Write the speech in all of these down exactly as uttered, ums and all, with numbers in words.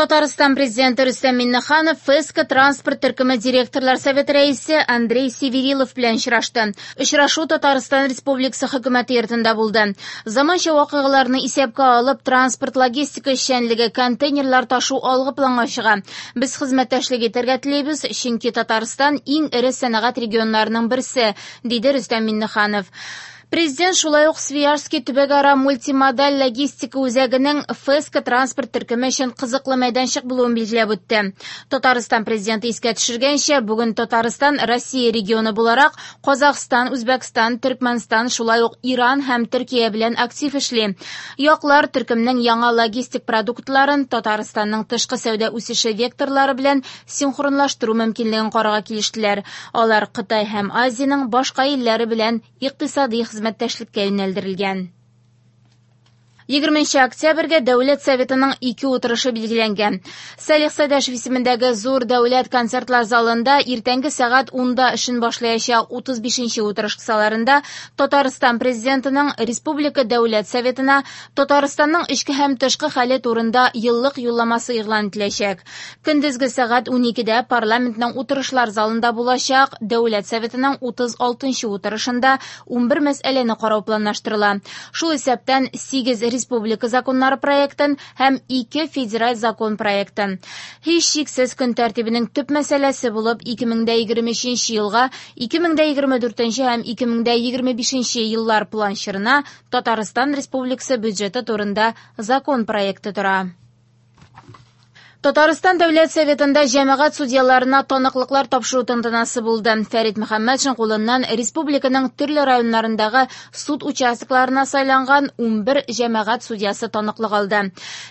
Татарстан президенты Рөстәм Миңнеханов Феско транспорт төркеме директорлар советы рәисе Андрей Северилов белән очрашты. Очрашу Татарстан Республикасы хөкүмәте йортында булды. Заманча вакыйгаларны исәпкә алып, транспорт логистика эшчәнлеге, контейнерлар ташу алгы планга чыга. Без хезмәттәшлек итәргә телибез, чөнки Татарстан иң эре сәнәгать регионнарының берсе, диде Рөстәм Миңнеханов. Президент шулай ук Свияжский төбәкара мультимодаль логистика үзәгенең Феско транспорт төркеме өчен кызыклы мәйданчык булуын билгеләп үтте. Татарстан президенты искә төшергәнчә, бүген Татарстан Россия регионы буларак Казахстан, Үзбәкстан, Төркмәнстан, шулай ук Иран һәм Төркия белән актив эшли. Яклар төркемнең яңа логистик продуктларын Татарстанның тышкы сәүдә үсеше векторлары белән синхронлаштыру мөмкинлеген карарга килештеләр. Алар Кытай һәм Азиянең башка илләре белән икътисади хезмәттәшлеккә юнәлдерелгән. Егерменче октябрьгә Дәүләт Советының ике утырышы билгеләнгән. Салих Сәйдәшев исемендәге Зур дәүләт концертлар залында иртәнге сәгать унда эшен башлаячак утыз бишенче утырыш кысаларында Татарстан президентының Республика Дәүләт Советына Татарстанның эчке һәм тышкы хәле турында еллык юлламасы игълан ителәчәк. Көндезге сәгать уникедә парламентның утырышлар залында булачак Дәүләт Советының утыз алтынчы утырышында унбер мәсьәләне карау планлаштырыла. Шул исәптән сигез республика законнары проектын һәм ике федераль закон проектын. Һичшиксез көн тәртибенең төп мәсьәләсе булып ике мең дә егерме өченче елга, ике мең дә егерме дүртенче һәм ике мең дә егерме бишенче еллар план чорына Татарстан Республикасы бюджеты турында закон проекты тора. Татарстан Дәүләт Советында җәмәгать судьяларына таныклыклар тапшыру тантанасы булды. Фәрит Мөхәммәтшин кулыннан республиканың төрле районнарындагы суд участокларына сайланган унбер җәмәгать судьясы таныклык алды.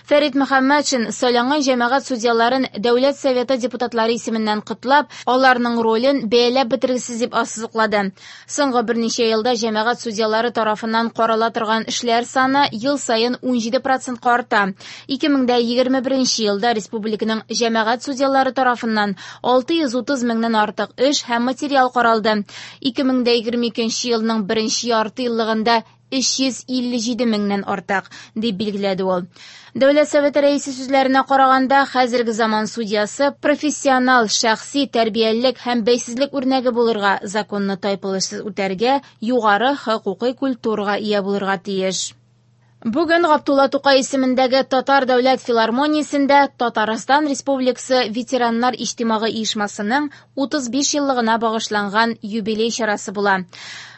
Фәрит Мөхәммәтшин сайланган җәмәгать судьяларын Дәүләт Советы депутатлары исеменнән котлап, аларның ролен бәяләп бетергесез дип ассызыклады. Соңгы берничә елда җәмәгать судьялары тарафыннан карала торган эшләр саны ел саен унҗиде процентка арта. Ике мең дә егерме беренче елда республиканың җәмәгать судьялары тарафыннан алты йөз утыз меңнән артык эш һәм материал каралды. Ике мең дә егерме икенче елның беренче ярты еллыгында өч йөз илле җиде меңнән артык, дип билгеләде ул. Дәүләт Советы рәисе сүзләренә караганда, хәзерге заман судьясы профессионал, шәхси тәрбиялелек һәм бәйсезлек үрнәге булырга, законны тайпылышсыз үтәргә, югары хокукый культурага ия булырга тиеш. Бүген Габдулла Тукай исемендәге Татар дәүләт филармониясендә Татарстан Республикасы ветераннар иҗтимагый оешмасының утыз биш еллыгына багышланган юбилей чарасы була.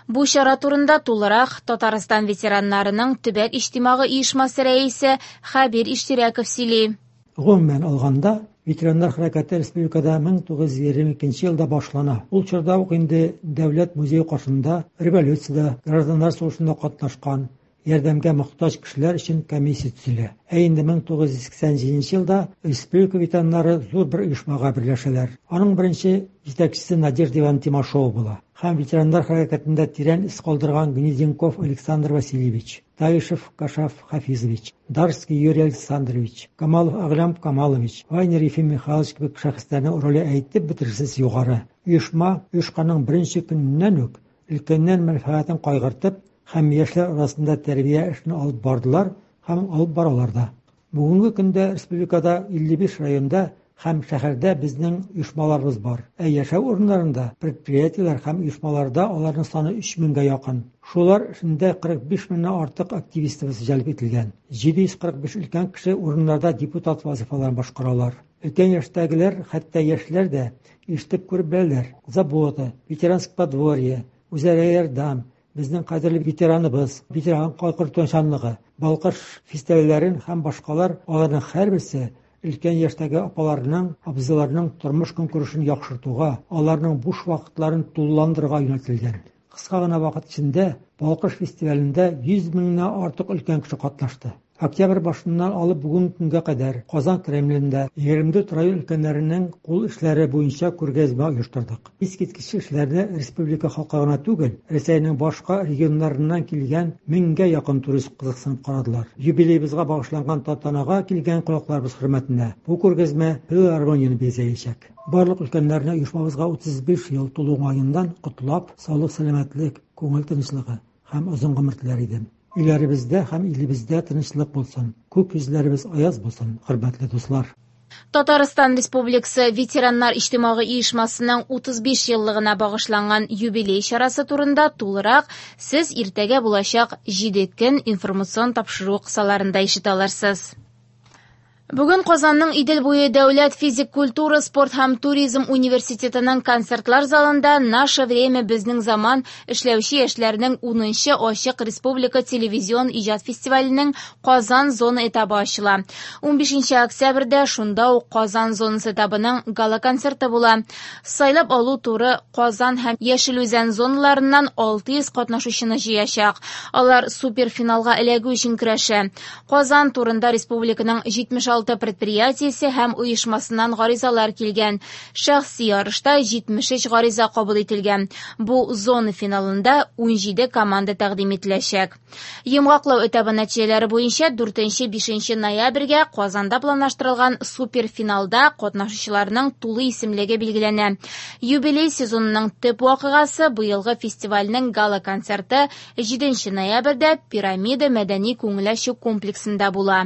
Бу чара турында тулырак Татарстан ветераннарының төбәк иҗтимагый оешмасы рәисе Хәбир Иштирәков сөйли. Гомумән алганда, ветераннар хәрәкәте республикада мең тугыз йөз егерме икенче елда башлана. Ул чорда ук инде дәүләт музее каршында революциядә, гражданнар сугышында катнашкан ярдәмгә мохтаҗ кешеләр өчен комиссия төзелә. Ә инде мең тугыз йөз сиксән җиденче елда республика ветераннары зур бер оешмага берләшәләр. Аның беренче җитәкчесе Надежда Ивановна Тимашова була. Һәм ветераннар хәрәкәтендә тирән эз калдырган Гнезденков Александр Васильевич, Таишев Кашаф Хафизович, Дарский Юрий Александрович, Камалов Аглям Камалович, Вайнер Ефим Михайлович кебек шәхесләрнең роле әйтеп бетергесез югары. Оешма оешканның беренче көненнән үк өлкәннәр мәнфәгатен кайгыртып һәм яшьләр арасында тәрбия эшен алып бардылар һәм алып баралар да. Бүгенге көндә республикада илле биш районда һәм шәһәрдә безнең оешмаларыбыз бар. Ә яшәү урыннарында предприятиеләр һәм оешмаларда аларның саны өч меңгә якын. Шулар эчендә кырык биш меңнән артык активистыбыз җәлеп ителгән. Җиде йөз кырык биш өлкән кеше урыннарда депутат вазифаларын башкаралар. Өлкән яшьтәгеләр, хәтта яшьләр дә ишетеп күреп беләләр. Забота, ветеранское подворье, үзара ярдәм, безнең кадерле ветераныбыз, ветеран кайгыртучанлыгы, Балкыш фестивальләрен һәм башкалар, аларның һәрберсе өлкән яшьтәге апаларның, абзыйларның тормыш көнкүрешен яхшыртуга, аларның буш вакытларын тулыландырырга юнәлтелгән. Кыска гына вакыт эчендә Балкыш фестивалендә йөз меңнән артык өлкән кеше катнашты. Октябрь башыннан алып бүгенге көнгә кадәр Казан Кремлендә егерме дүрт район өлкәннәренең кул эшләре буенча күргәзмә оештырдык. Искиткеч эшләрне республика халкы гына түгел, Рәсәйнең башка регионнарыннан килгән меңгә якын турист кызыксынып карадылар. Юбилейыбызга багышланган тантанага килгән кунакларыбыз хөрмәтенә бу күргәзмә филармонияне бизәячәк. Барлык өлкәннәрне оешмабызга утыз биш ел тулу уңаеннан котлап, саулык, сәламәтлек, күңел тынычлыгы һәм озын гомер теләр идем. Өйләребездә һәм илебездә тынычлык булсын, күк йөзләребез аяз булсын, хөрмәтле дуслар. Татарстан Республикасы ветераннар иҗтимагый оешмасының утыз биш еллыгына багышланган юбилей чарасы турында тулырак сез иртәгә булачак җиде көн информацион тапшыру кысаларында ишетә алырсыз. Бүген Казанның Идел буе дәүләт физик культура, спорт һәм туризм университетының концертлар залында «Наше время, безнең заман» эшләүче яшьләрнең унынчы ачык республика телевизион иҗат фестиваленең Казан зона этабы ачыла. Унбишенче октябрьдә шунда ук Казан зонасы этабының гала-концерты була. Сайлап алу туры Казан һәм Яшел Үзән зоналарыннан алты йөз катнашучыны җыячак. Алар суперфиналга эләгү өчен көрәшә. Казан турында республиканың җитмеш алты предприятиесе һәм оешмасыннан гаризалар килгән. Шәхси ярышта җитмеш өч гариза кабул ителгән. Бу зона финалында унҗиде команда тәкъдим ителәчәк. Йомгаклау этабы нәтиҗәләре буенча дүртенче-бишенче ноябрьгә Казанда планлаштырылган суперфиналда катнашучыларның тулы исемлеге билгеләнә. Юбилей сезонының төп вакыйгасы быелгы фестивальнең гала-концерты җиденче ноябрьдә Пирамида мәдәни күңел ачу комплексында була.